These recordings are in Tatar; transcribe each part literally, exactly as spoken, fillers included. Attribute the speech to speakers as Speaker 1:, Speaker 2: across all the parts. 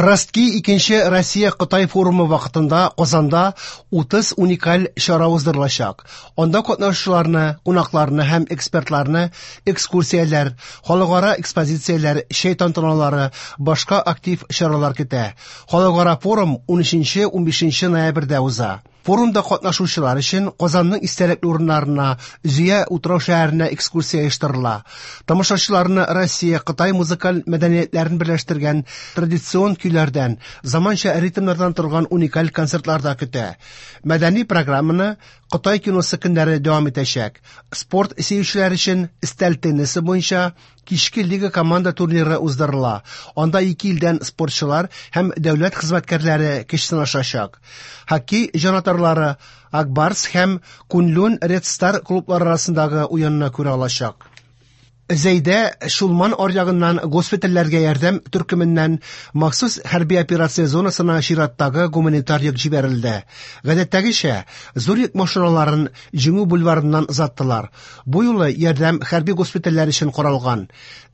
Speaker 1: Ростки икенче Россия-Кытай форумы вакытында Казанда утыз уникаль чара уздырылачак. Анда катнашучыларны, кунакларны һәм экспертларны экскурсияләр, халыкара экспозицияләр, чәй тантаналары, башка актив чаралар көтә. Халыкара форум унөченче-унбишенче ноябрьдә уза. Форумда катнашучылар өчен Казанның истәлекле урыннарына, Зөя утрау шәһәренә экскурсия оештырыла. Тамашачыларны Россия, Кытай музыкаль мәдәниятләрен берләштергән традицион көйләрдән, заманча ритмнардан торган уникаль концертлар да көтә. Мәдәни программаны Кытай киносы көннәре дәвам итәчәк. Спорт сөючеләр өчен өстәл теннисы буенча кичке лига команда турниры уздырыла. Анда ике илдән спортчылар һәм дәүләт хезмәткәрләре көч сынашачак. Хоккей җанатарлары Ак Барс һәм Куньлунь Ред Стар клублары арасындагы уенны күрә алачак. Зәйдә Чулман аръягыннан госпитальләргә ярдәм төркеменнән махсус хәрби операция зонасына чираттагы гуманитар йөк җибәрелде. Гадәттәгечә, зур йөк машиналарын Җиңү бульварыннан озаттылар. Бу юлы ярдәм хәрби госпитальләр өчен каралган.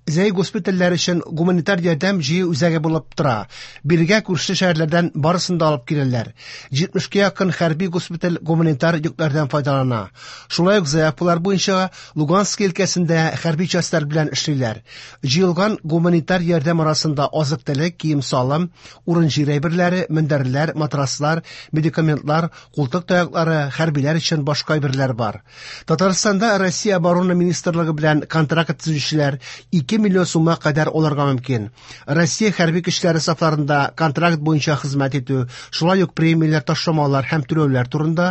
Speaker 1: Зәй госпитальләр өчен гуманитар ярдәм җыю үзәге булып тора. Бирегә күрше шәһәрләрдән барысын да алып киләләр. Җитмешкә якын хәрби госпиталь гуманитар йөкләрдән файдалана. Шулай ук заявкалар буенча Лугански өлкәсендә хәрби частьлар белән эшлиләр. Җыелган гуманитар ярдәм арасында азык-төлек, кием-салым, урын-җир әйберләре, мендәрләр, матраслар, медикаментлар, култык таяклары, хәрбиләр өчен башка әйберләр бар. Татарстанда Россия Оборона Министрлыгы белән контракт төзүчеләр ике миллион сумга кадәр алырга мөмкин. Россия хәрби көчләре сафларында контракт буенча хезмәт итү, шулай ук премияләр, ташламалар һәм түләүләр турында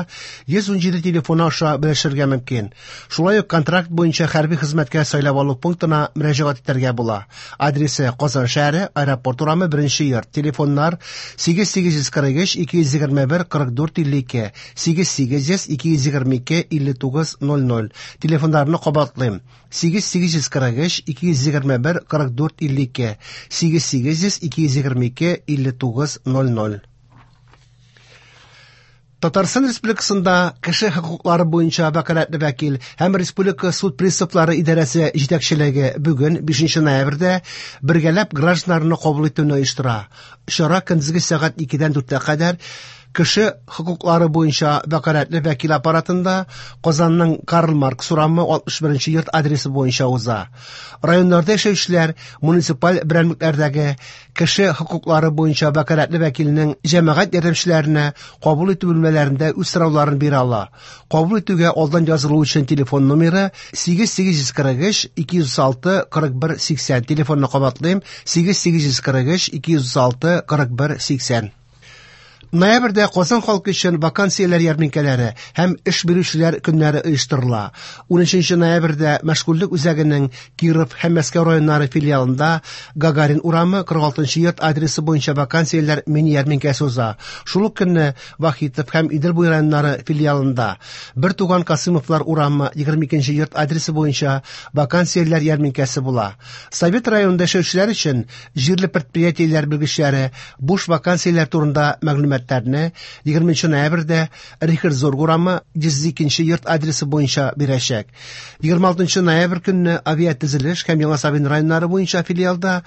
Speaker 1: йөз ун җиде телефоны аша белешергә мөмкин. Шулай ук контракт буенча хәрби хезмәткә сайлап алу пунктына мөрәҗәгать итәргә була. Адресы: Казан шәһәре, Аэропорт урамы, беренче йорт. Телефоннар: сигез сигез йөз кырык өч ике йөз егерме бер кырык дүрт илле ике, сигез сигез йөз ике йөз егерме ике илле тугыз ноль ноль. Телефоннарны кабатлыйм: сигез сигез йөз кырык өч ике йөз егерме бер кырык дүрт илле ике, сигез сигез йөз ике йөз егерме ике илле тугыз ноль ноль. Татарстан Республикасында кеше хокуклары буенча вәкаләтле вәкил һәм Республика суд приставлары идарәсе җитәкчелеге бүген бишенче ноябрьдә бергәләп гражданнарны кабул итүне оештыра. Чара көндезге сәгать икедән дүрткә кадәр кеше хокуклары буенча вәкаләтле вәкил аппаратында Казанның Карл Маркс урамы алтмыш беренче йорт адресы буенча уза. Районнарда яшәүчеләр муниципаль берәмлекләрдәге кеше хокуклары буенча вәкаләтле вәкилнең җәмәгать ярдәмчеләренә кабул итү бүлмәләрендә үз сорауларын бирә ала. Кабул итүгә алдан язылу өчен телефон номеры сигез сигез йөз кырык өч ике йөз алты кырык бер сиксән. Телефонны кабатлыйм: сигез сигез йөз кырык өч ике йөз алты кырык бер сиксән. Ноябрьдә Казан халкы өчен вакансияләр ярминкәләре һәм эш бирүчеләр көннәре оештырыла. Унөченче ноябрьдә мәшгульлек үзәгенең Киров һәм Мәскәү районнары филиалында Гагарин урамы кырык алтынчы йорт адресы буенча вакансияләр мини ярминкәсе уза. Шул ук көнне Вахитов һәм Идел буе районнары филиалында Бер туган Касымовлар урамы егерме икенче йорт адресы буенча вакансияләр ярминкәсе була. Совет районында яшәүчеләр өчен җирле предприятиеләр белгечләре буш вакансияләр турында мәгълүмат егерменче ноябрьдә Рихард Зорг урамы йөз икенче йорт адресы буенча бирәчәк. Егерме алтынчы ноябрь көнне авиатөзелеш һәм Яңа Савин районнары буенча филиалда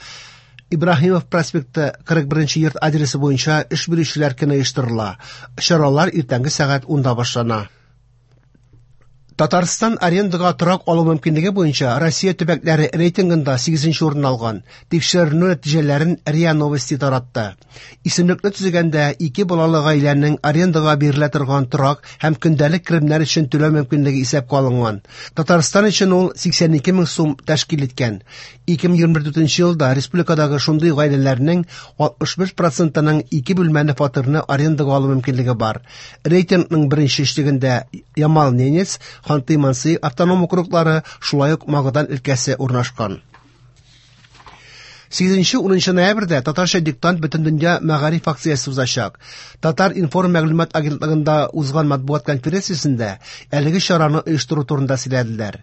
Speaker 1: Ибраһимов проспекты кырык беренче йорт адресы буенча эш бирүчеләр көне оештырыла. Чаралар иртәнге сәгать унда башлана. Татарстан арендага торак алу мөмкинлеге буенча Россия төбәкләре рейтингында сигезенче урын алган. Тикшеренү нәтиҗәләрен РИА Новости таратты. Исемлекне төзегәндә ике балалы гаиләнең арендага бирелә торган торак һәм көндәлек керемнәр өчен түләү мөмкинлеге исәпкә алынган. Татарстан өчен ул сиксән ике мең сум тәшкил иткән. Ике мең егерме дүртенче елда республикадагы шундый гаиләләрнең алтмыш бер процентының ике бүлмәле фатирны арендага алу мөмкинлеге бар. Рейтингның беренче өчлегендә Ямал-Ненец, Ханты-Манси автоном округлары, шулай ук Магадан өлкәсе урнашкан. Сигезенче унынчы ноябрьдә Татарча диктант Бөтендөнья мәгариф акциясе узачак. Татар информ мәгълүмат агентлыгында узган матбугат конференциясендә әлеге чараны оештыру турында сөйләделәр.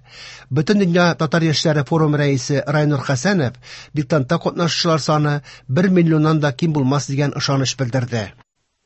Speaker 1: Бөтендөнья татар яшьләре форумы рәисе Райнур Хәсәнов диктантта катнашучылар саны бер миллионнан да ким булмас дигән ышаныч белдерде.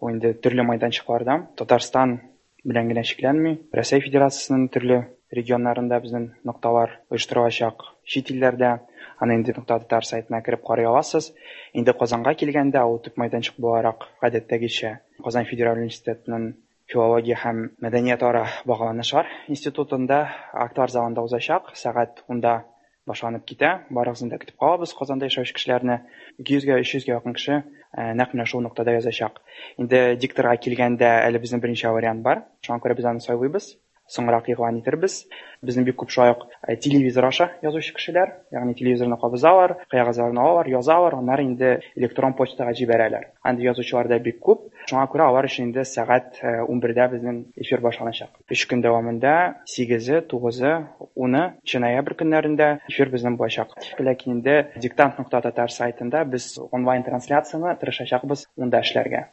Speaker 2: Бу инде төрле майданчыкларда Татарстан белән генә чикләнми. Рәсәй Федерациясенең төрле регионнарында безнең нокталар оештырылачак. чит илләрдә. Аны инде нокта татар сайтына кереп карый аласыз. Инде Казанга килгәндә, ул төп мәйданчык буларак гадәттәгечә Казан федераль университетының филология һәм мәдәниятара багланышлар институтында актлар залында узачак. Сәгать унда башланып китә. Барыгызны да көтеп калабыз Казанда яшәүче кешеләрне. ике йөзгә, өч йөзгә якын кеше нәкъ менә шул ноктада язачак. Инде дикторга килгәндә әле безнең берничә вариант бар. Шуңа күрә без аны сайлыйбыз. Соңрак игълан итербез. Безнең бик күп шулай ук телевизор аша язучы кешеләр, ягъни телевизорны кабызалар, кәгазьләрне алалар, язалар, аннары инде электрон почтага җибәрәләр. Андый язучылар да бик күп. Шуңа күрә алар өчен инде сәгать унбердә безнең эфир башланачак. Өч көн дәвамында сигезе, тугызы, уны ноябрь көннәрендә эфир безнең булачак. Ләкин инде диктант нокта татар сайтында без онлайн трансляцияне тырышачакбыз унда эшләргә.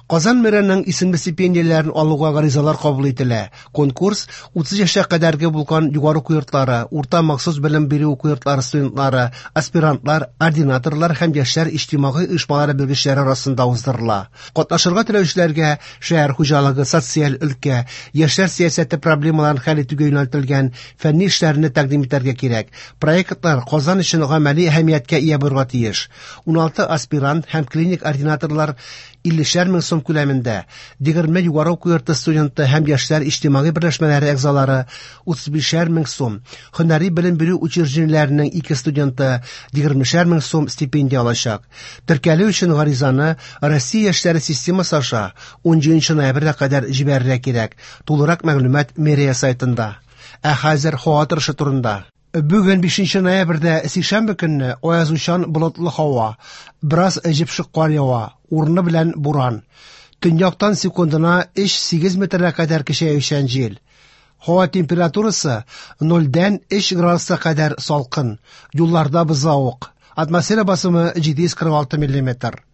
Speaker 1: Казан мэрының исемле стипендияләрен алуга гаризалар кабул ителә. Конкурс утыз яшькә кадәрге булган югары уку йортлары, урта махсус белем бирү уку йортлары студентлары, аспирантлар, ординаторлар һәм яшьләр иҗтимагый оешмалары белгечләре арасында уздырыла. Катнашырга теләүчеләргә шәһәр хуҗалыгы, социаль өлкә, яшьләр сәясәте проблемаларын хәл итүгә юнәлтелгән фәнни эшләрне тәкъдим итәргә кирәк. Проектлар Казан өчен гамәли әһәмияткә ия булырга тиеш. Уналты аспирант һәм клиник ординаторлар иллешәр мең сум күләмендә, егерме югары уку йорты студенты һәм яшьләр иҗтимагый берләшмәләре әгъзалары утыз бишәр мең сум, һөнәри белем бирү учреждениеләренең ике студенты егермешәр мең сум стипендия алачак. Теркәлү өчен гаризаны Россия яшьләре системасы аша унҗиденче ноябрьгә кадәр җибәрергә кирәк. Тулырак мәгълүмат мэрия сайтында. Ә хәзер һава торышы турында. Бүген бишенче ноябрьдә сишәмбе көнне аязучан болытлы һава, бераз җепшек кар ява, урыны белән буран. Төньяктан секундына өч сигез метргә кадәр көчәючән җил. Һава температурасы нольдән өч градуска кадәр салкын, юлларда бозлавык. Атмосфера басымы җиде йөз кырык алты миллиметр.